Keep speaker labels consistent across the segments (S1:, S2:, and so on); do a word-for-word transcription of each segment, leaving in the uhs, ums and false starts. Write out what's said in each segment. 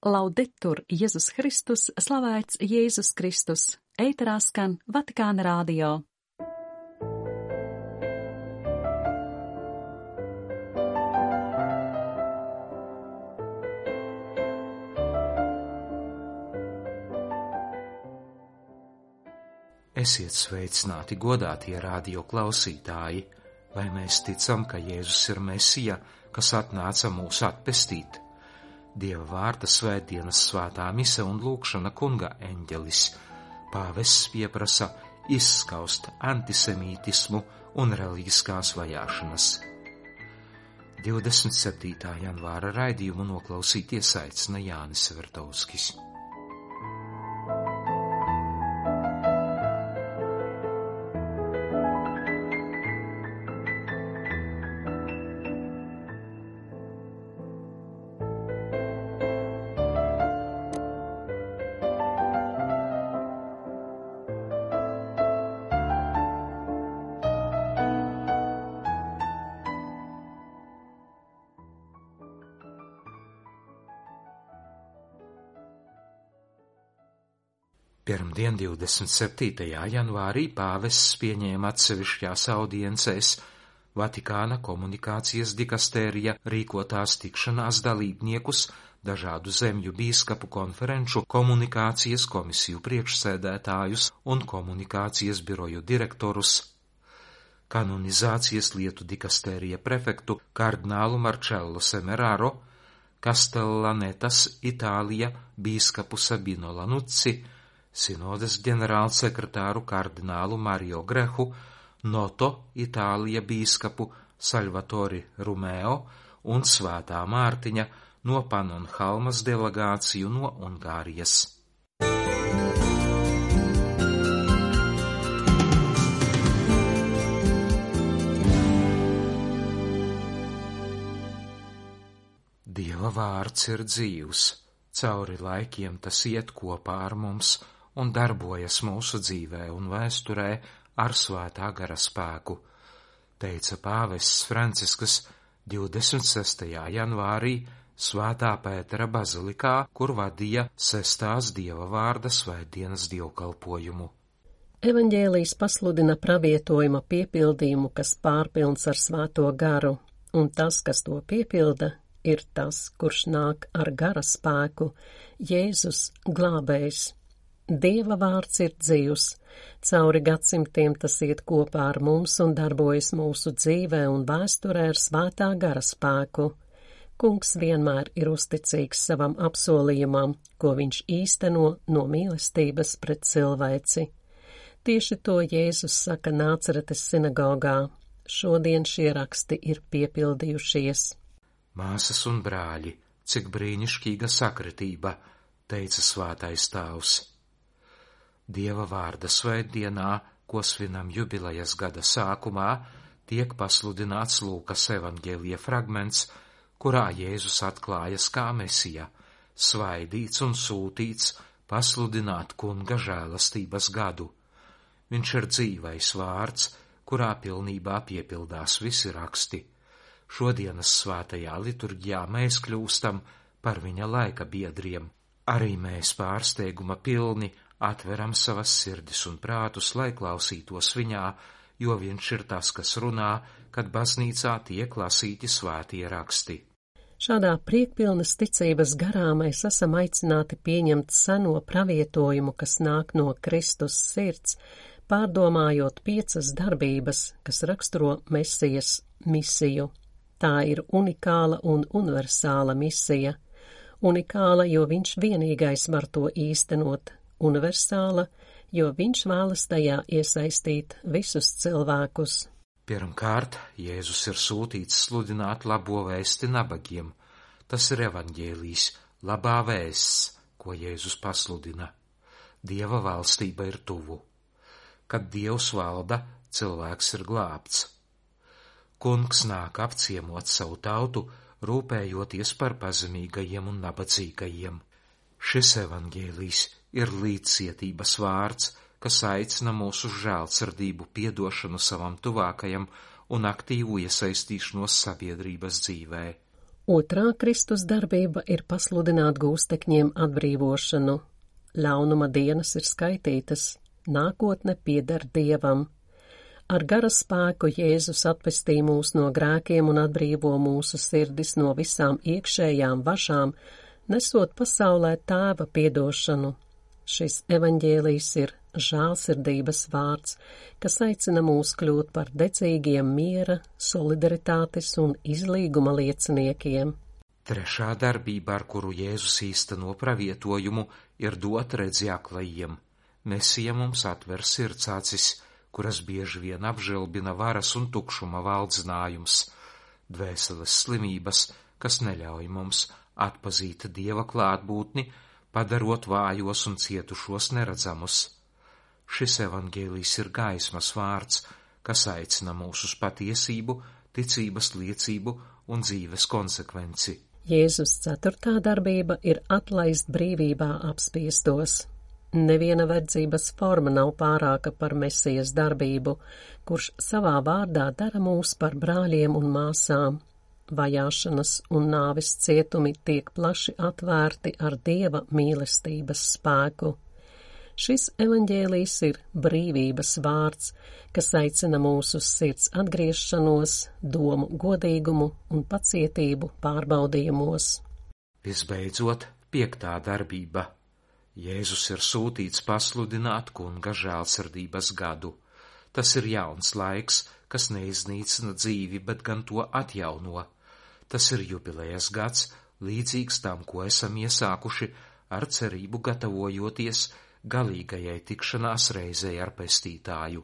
S1: Laudetur Jēzus Kristus, slavēts Jēzus Kristus, ēterā skan Vatikāna radio.
S2: Esiet sveicināti, godātie radio klausītāji, vai mēs ticam, ka Jēzus ir Mesija, kas atnāca mūs atpestīt. Dieva vārda svētdienas svētā mise un lūkšana kunga eņģelis. Pāvests pieprasa izskaust antisemītismu un reliģiskās vajāšanas. divdesmit septītā janvāra raidījumu noklausīties aicina Jānis Vertovskis. Pirmdien, divdesmit septītajā janvārī, pāvests pieņēma atsevišķās audiencēs Vatikāna komunikācijas dikastērija rīkotās tikšanās dalībniekus, dažādu zemju bīskapu konferenču, komunikācijas komisiju priekšsēdētājus un komunikācijas biroju direktorus, kanonizācijas lietu dikastērija prefektu kardinālu Marcello Semeraro, Castellanetas Itālija bīskapu Sabino Lanucci, Sinodes ģenerālsekretāru kardinālu Mario Grehu, Noto Itālija bīskapu Salvatori Rumeo un Svētā Mārtiņa no Panonhalmas delegāciju no Ungārijas. Dieva vārds ir dzīvs, cauri laikiem tas iet kopā ar mums un darbojas mūsu dzīvē un vēsturē ar svētā gara spēku, teica pāvests Francisks divdesmit sestajā janvārī Svētā Pētera bazilikā, kur vadīja sestās Dieva vārda svētdienas dievkalpojumu.
S3: Evaņģēlijs pasludina pravietojuma piepildījumu, kas pārpilns ar svēto garu, un tas, kas to piepilda, ir tas, kurš nāk ar gara spēku, Jēzus glābējs. Dieva vārds ir dzīvs, cauri gadsimtiem tas iet kopā ar mums un darbojas mūsu dzīvē un vēsturē ar svētā gara spēku. Kungs vienmēr ir uzticīgs savam apsolījumam, ko viņš īsteno no mīlestības pret cilvēci. Tieši to Jēzus saka Nācaretes sinagogā. Šodien šie raksti ir piepildījušies.
S2: Māsas un brāļi, cik brīnišķīga sakritība, teica svētais tēvs. Dieva vārda svētdienā, ko svinam jubilejas gada sākumā, tiek pasludināts Lūkas evaņģēlija fragments, kurā Jēzus atklājas kā Mesija, svaidīts un sūtīts pasludināt kunga žēlastības gadu. Viņš ir dzīvais vārds, kurā pilnībā piepildās visi raksti. Šodienas svētajā liturģijā mēs kļūstam par viņa laika biedriem. Arī mēs pārsteiguma pilni atveram savas sirdis un prātus, lai klausītos viņā, jo viņš ir tas, kas runā, kad baznīcā tiek lasīti svētie raksti.
S3: Šādā priekpilnas ticības garā mēs esam aicināti pieņemt seno pravietojumu, kas nāk no Kristus sirds, pārdomājot piecas darbības, kas raksturo Mesijas misiju. Tā ir unikāla un universāla misija. Unikāla, jo viņš vienīgais var to īstenot. Universāla, jo viņš vēlas tajā iesaistīt visus cilvēkus.
S2: Pirmkārt, Jēzus ir sūtīts sludināt labo vēsti nabagiem. Tas ir evaņģēlijs, labā vēsts, ko Jēzus pasludina. Dieva valstība ir tuvu. Kad Dievs valda, cilvēks ir glābts. Kungs nāk apciemot savu tautu, rūpējoties par pazemīgajiem un nabadzīgajiem. Šis evaņģēlijs ir līdzcietības vārds, kas aicina mūs uz žēlsirdību, piedošanu savam tuvākajam un aktīvu iesaistīšanos sabiedrības dzīvē.
S3: Otrā Kristus darbība ir pasludināt gūstekņiem atbrīvošanu. Ļaunuma dienas ir skaitītas, nākotne pieder Dievam. Ar gara spēku Jēzus atpestī mūs no grēkiem un atbrīvo mūsu sirdis no visām iekšējām važām, nesot pasaulē Tēva piedošanu. Šis evaņģēlijs ir žēlsirdības vārds, kas aicina mūs kļūt par dedzīgiem miera, solidaritātes un izlīguma lieciniekiem.
S2: Trešā darbība, ar kuru Jēzus īsteno pravietojumu, ir dot redzi aklajiem. Mesija mums atver sirds acis, kuras bieži vien apžilbina varas un tukšuma valdzinājums, dvēseles slimības, kas neļauj mums atpazīt Dieva klātbūtni, padarot vājos un cietušos neredzamus. Šis evaņģēlijs ir gaismas vārds, kas aicina mūs uz patiesību, ticības liecību un dzīves konsekvenci.
S3: Jēzus ceturtā darbība ir atlaist brīvībā apspiestos. Neviena verdzības forma nav pārāka par Mesijas darbību, kurš savā vārdā dara mūs par brāļiem un māsām. Vajāšanas un nāves cietumi tiek plaši atvērti ar Dieva mīlestības spēku. Šis evaņģēlijs ir brīvības vārds, kas aicina mūs uz sirds atgriešanos, domu godīgumu un pacietību pārbaudījumos.
S2: Visbeidzot, piektā darbība. Jēzus ir sūtīts pasludināt kunga žēlsirdības gadu. Tas ir jauns laiks, kas neiznīcina dzīvi, bet gan to atjauno. Tas ir jubilejas gads, līdzīgs tam, ko esam iesākuši, ar cerību gatavojoties galīgajai tikšanās reizei ar pestītāju.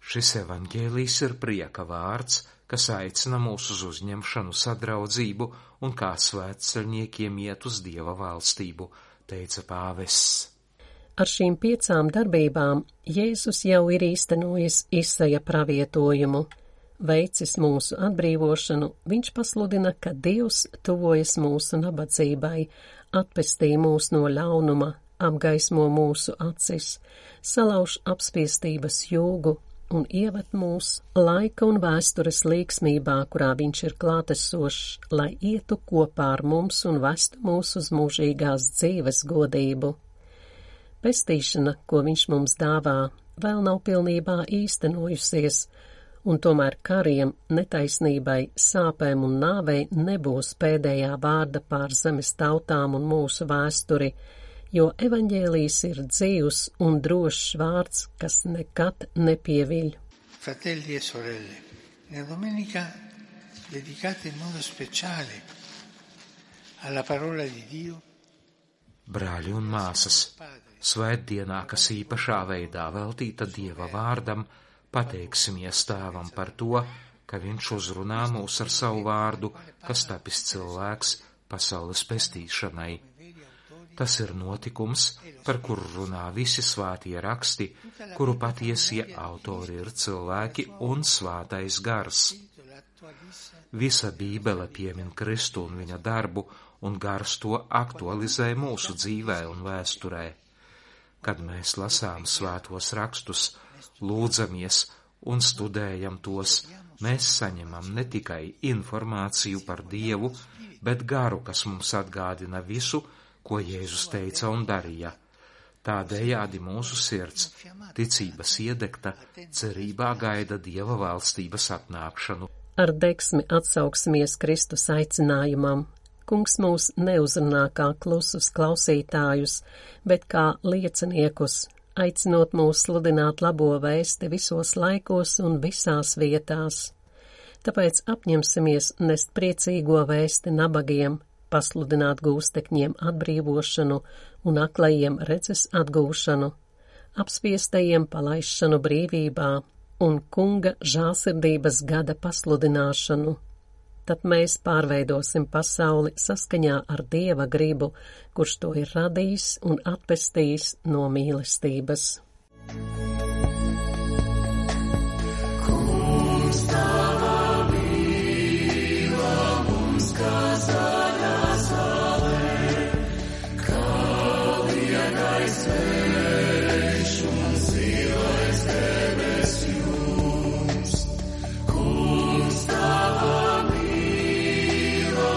S2: Šis evaņģēlijs ir prieka vārds, kas aicina mūs uz uzņemšanu, sadraudzību un kā svētceļniekiem iet uz Dieva valstību, teica pāvests.
S3: Ar šīm piecām darbībām Jēzus jau ir īstenojis Isaja pravietojumu. Veicis mūsu atbrīvošanu, viņš pasludina, ka Dievs tuvojas mūsu nabadzībai, atpestī mūs no ļaunuma, apgaismo mūsu acis, salauž apspiestības jūgu un ieved mūs laika un vēstures līksmībā, kurā viņš ir klātesošs, lai ietu kopā ar mums un vestu mūs uz mūžīgās dzīves godību. Pestīšana, ko viņš mums dāvā, vēl nav pilnībā īstenojusies, un tomēr kariem, netaisnībai, sāpēm un nāvei nebūs pēdējā vārda pār zemes tautām un mūsu vēsturi, jo evaņģēlijs ir dzīvs un drošs vārds, kas nekad nepieviļ.
S4: Fratelli e sorelle, la domenica dedicata in modo speciale alla parola di Dio.
S2: Brāļi un māsas, svētdienā, kas īpašā veidā veltīta Dieva vārdam, pateiksimies Tēvam par to, ka viņš uzrunā mūs ar savu vārdu, kas tapis cilvēks pasaules pestīšanai. Tas ir notikums, par kuru runā visi svētie raksti, kuru patiesie autori ir cilvēki un svētais gars. Visa Bībele piemin Kristu un viņa darbu, un gars to aktualizē mūsu dzīvē un vēsturē. Kad mēs lasām svētos rakstus, lūdzamies un studējam tos, mēs saņemam ne tikai informāciju par Dievu, bet garu, kas mums atgādina visu, ko Jēzus teica un darīja. Tādējādi mūsu sirds, ticības iedegta, cerībā gaida Dieva valstības atnākšanu.
S3: Ar degsmi atsauksimies Kristus aicinājumam. Kungs mūs neuzrunā kā klusus klausītājus, bet kā lieciniekus, aicinot mūs sludināt labo vēsti visos laikos un visās vietās. Tāpēc apņemsimies nest priecīgo vēsti nabagiem, pasludināt gūstekņiem atbrīvošanu un aklajiem redzes atgūšanu, apspiestajiem palaišanu brīvībā un kunga žēlsirdības gada pasludināšanu. Tad mēs pārveidosim pasauli saskaņā ar Dieva gribu, kurš to ir radījis un atpestījis no mīlestības. Kungs, tava mīla mums kazā. Kungs, tava mīla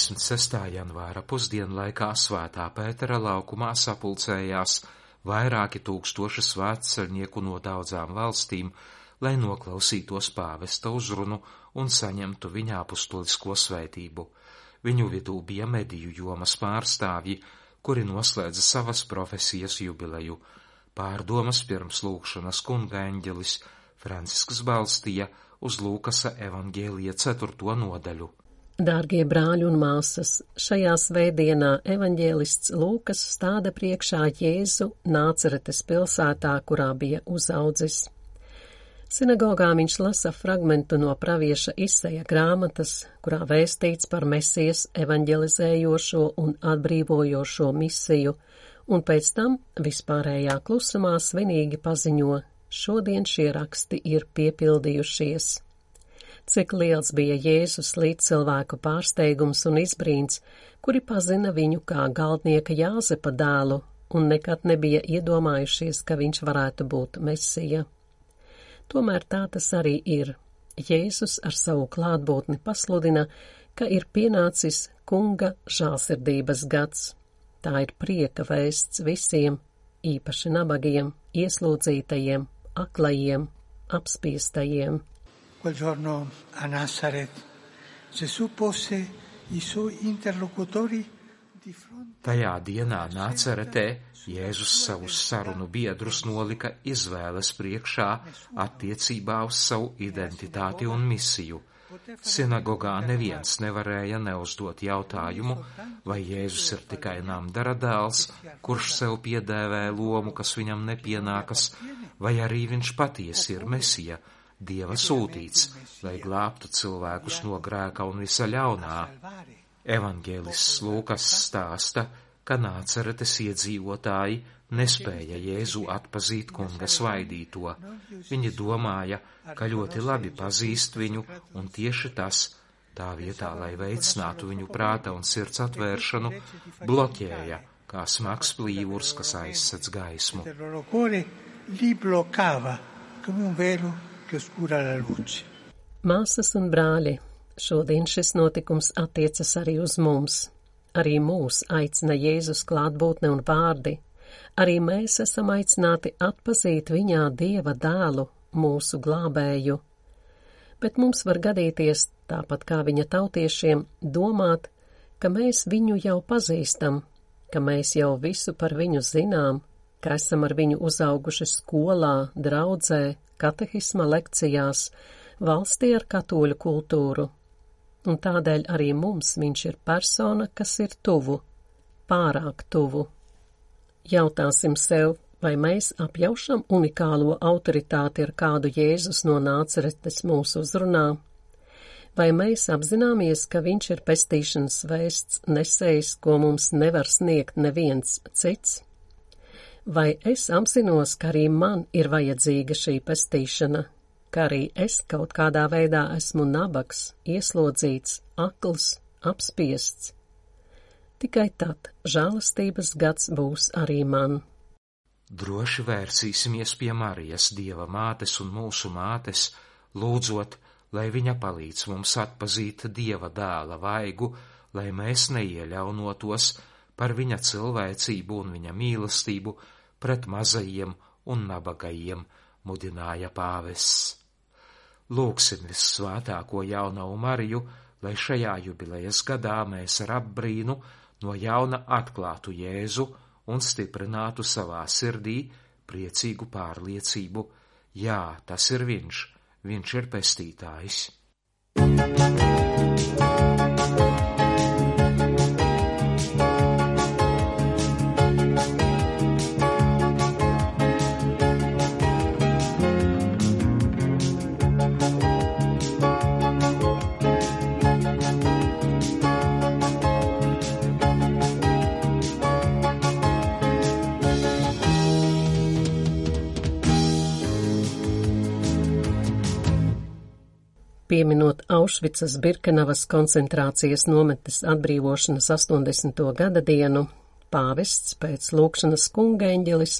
S2: divdesmit sestā janvāra pusdienlaikā Svētā Pētera laukumā sapulcējās vairāki tūkstoši svētceļnieku no daudzām valstīm, lai noklausītos pāvesta uzrunu un saņemtu viņa apustulisko svētību. Viņu vidū bija mediju jomas pārstāvji, kuri noslēdza savas profesijas jubileju. Pārdomas pirms lūgšanas kunga eņģelis Francisks balstīja uz Lūkasa evaņģēlija ceturto nodaļu.
S3: Dārgie brāļi un māsas, šajā svētdienā evaņģēlists Lūkas stāda priekšā Jēzu Nāceretes pilsētā, kurā bija uzaudzis. Sinagogā viņš lasa fragmentu no pravieša Isaija grāmatas, kurā vēstīts par Mesijas evaņģelizējošo un atbrīvojošo misiju, un pēc tam vispārējā klusumā svinīgi paziņo: šodien šie raksti ir piepildījušies. Cik liels bija Jēzus līdz cilvēku pārsteigums un izbrīns, kuri pazina viņu kā galdnieka Jāzepa dēlu un nekad nebija iedomājušies, ka viņš varētu būt Mesija. Tomēr tā tas arī ir. Jēzus ar savu klātbūtni pasludina, ka ir pienācis kunga žālsirdības gads. Tā ir prieka vēsts visiem, īpaši nabagiem, ieslodzītajiem, aklajiem, apspiestajiem.
S4: Quel giorno a Nazaret Gesù pose i suoi interlocutori di fronte.
S2: Tajā dienā Nāceretē Jēzus savus sarunu biedrus nolika izvēles priekšā attiecībā uz savu identitāti un misiju. Sinagogā neviens nevarēja neuzdot jautājumu, vai Jēzus ir tikai namdara dēls, kurš sev piedēvē lomu, kas viņam nepienākas, vai arī viņš patiesi ir Mesija, Dieva sūtīts, lai glābtu cilvēkus no grēka un visa ļaunā. Evaņģēlists Lūkas stāsta, ka Nāceretes iedzīvotāji nespēja Jēzu atpazīt kunga svaidīto. Viņi domāja, ka ļoti labi pazīst viņu, un tieši tas, tā vietā, lai veicinātu viņu prāta un sirds atvēršanu, bloķēja, kā smags plīvurs, kas aizsedz gaismu.
S3: Māsas un brāļi, šodien šis notikums attiecas arī uz mums. Arī mūs aicina Jēzus klātbūtne un vārdi. Arī mēs esam aicināti atpazīt viņā Dieva dēlu, mūsu glābēju. Bet mums var gadīties, tāpat kā viņa tautiešiem, domāt, ka mēs viņu jau pazīstam, ka mēs jau visu par viņu zinām, ka esam ar viņu uzauguši skolā, draudzē, katehisma lekcijās, valstī ar katoļu kultūru. Un tādēļ arī mums viņš ir persona, kas ir tuvu, pārāk tuvu. Jautāsim sev, vai mēs apjaušam unikālo autoritāti, ar kādu Jēzus no Nāceretes mūs uzrunā? Vai mēs apzināmies, ka viņš ir pestīšanas vēsts nesējs, ko mums nevar sniegt neviens cits? Vai es apzinos, ka arī man ir vajadzīga šī pestīšana, ka arī es kaut kādā veidā esmu nabags, ieslodzīts, akls, apspiests? Tikai tad žēlastības gads būs arī man.
S2: Droši vērsīsimies pie Marijas, Dieva mātes un mūsu mātes, lūdzot, lai viņa palīdz mums atpazīt Dieva dēla vaigu, lai mēs neieļaunotos par viņa cilvēcību un viņa mīlestību pret mazajiem un nabagajiem, mudināja pāvests. Lūksim vissvētāko jaunavu Mariju, lai šajā jubilejas gadā mēs ar apbrīnu no jauna atklātu Jēzu un stiprinātu savā sirdī priecīgu pārliecību: jā, tas ir viņš, viņš ir pestītājs.
S3: Pieminot Aušvicas Birkenavas koncentrācijas nometnes atbrīvošanas astoņdesmito gada dienu, pāvests pēc lūgšanas kunga eņģelis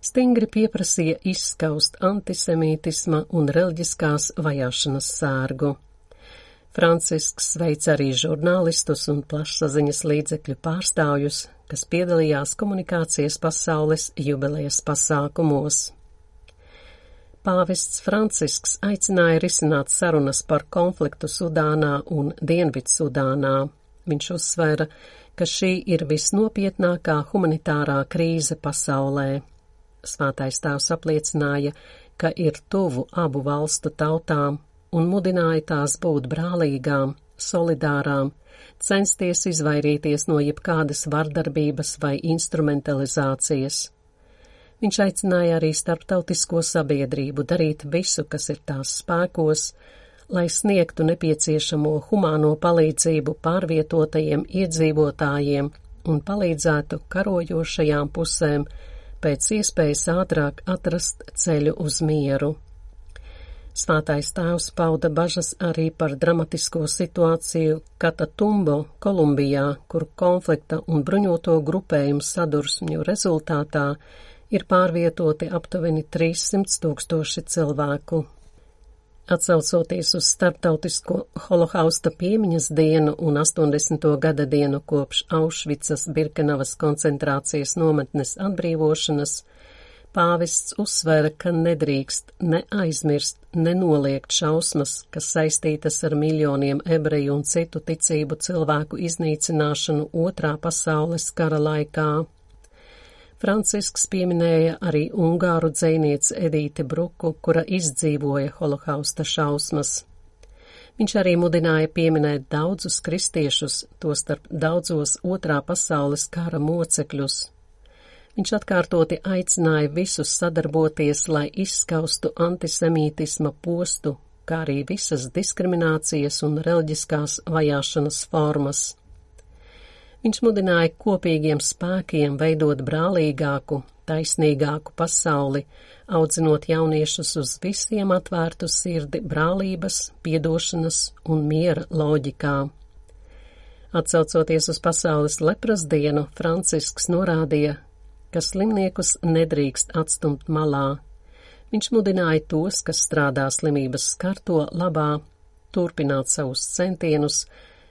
S3: stingri pieprasīja izskaust antisemītisma un reliģiskās vajāšanas sērgu. Francisks sveic arī žurnālistus un plašsaziņas līdzekļu pārstāvjus, kas piedalījās komunikācijas pasaules jubilejas pasākumos. Pāvests Francisks aicināja risināt sarunas par konfliktu Sudānā un Dienvidsudānā. Viņš uzsvēra, ka šī ir visnopietnākā humanitārā krīze pasaulē. Svētais tēvs apliecināja, ka ir tuvu abu valstu tautām un mudināja tās būt brālīgām, solidārām, censties izvairīties no jebkādas vardarbības vai instrumentalizācijas. Viņš aicināja arī starptautisko sabiedrību darīt visu, kas ir tās spēkos, lai sniegtu nepieciešamo humāno palīdzību pārvietotajiem iedzīvotājiem un palīdzētu karojošajām pusēm pēc iespējas ātrāk atrast ceļu uz mieru. Svētais tēvs pauda bažas arī par dramatisko situāciju Katatumbo, Kolumbijā, kur konflikta un bruņoto grupējumu sadursmju rezultātā ir pārvietoti aptuveni trīssimt tūkstoši cilvēku. Atsaucoties uz starptautisko holokausta piemiņas dienu un astoņdesmito gada dienu kopš Aušvicas Birkenavas koncentrācijas nometnes atbrīvošanas, pāvests uzsvēra, ka nedrīkst ne aizmirst, ne noliegt šausmas, kas saistītas ar miljoniem ebreju un citu ticību cilvēku iznīcināšanu Otrā pasaules kara laikā. Francisks pieminēja arī ungāru dzejnieci Edīti Bruku, kura izdzīvoja holokausta šausmas. Viņš arī mudināja pieminēt daudzus kristiešus, tostarp daudzos Otrā pasaules kara mocekļus. Viņš atkārtoti aicināja visus sadarboties, lai izskaustu antisemītisma postu, kā arī visas diskriminācijas un reliģiskās vajāšanas formas. Viņš mudināja kopīgiem spēkiem veidot brālīgāku, taisnīgāku pasauli, audzinot jauniešus uz visiem atvērtu sirdi brālības, piedošanas un miera loģikā. Atsaucoties uz pasaules lepras dienu, Francisks norādīja, ka slimniekus nedrīkst atstumt malā. Viņš mudināja tos, kas strādā slimības skarto labā, turpināt savus centienus,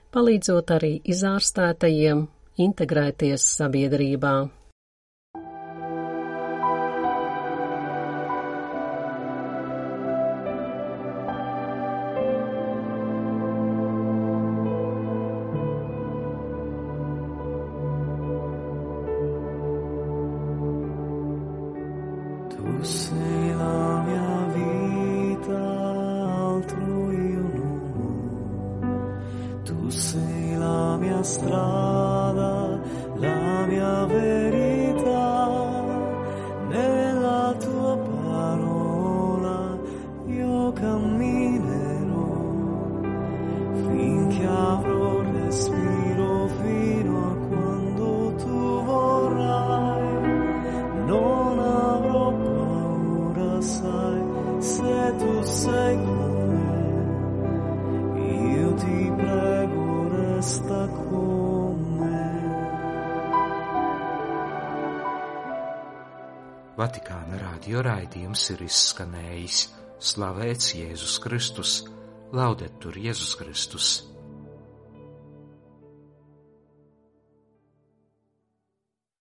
S3: palīdzot arī izārstētajiem integrēties sabiedrībā.
S5: Tu sei la mia vita, altro io non ho. Tu sei la mia strada, la mia verità, nella tua parola io camminerò, finché avrò respiro fino a quando tu vorrai. Non avrò paura, sai, se tu sei con me, io ti prego, resta con me.
S2: Vatikāna radio raidījums ir izskanējis. Slavēts Jēzus Kristus, laudetur Jēzus Kristus.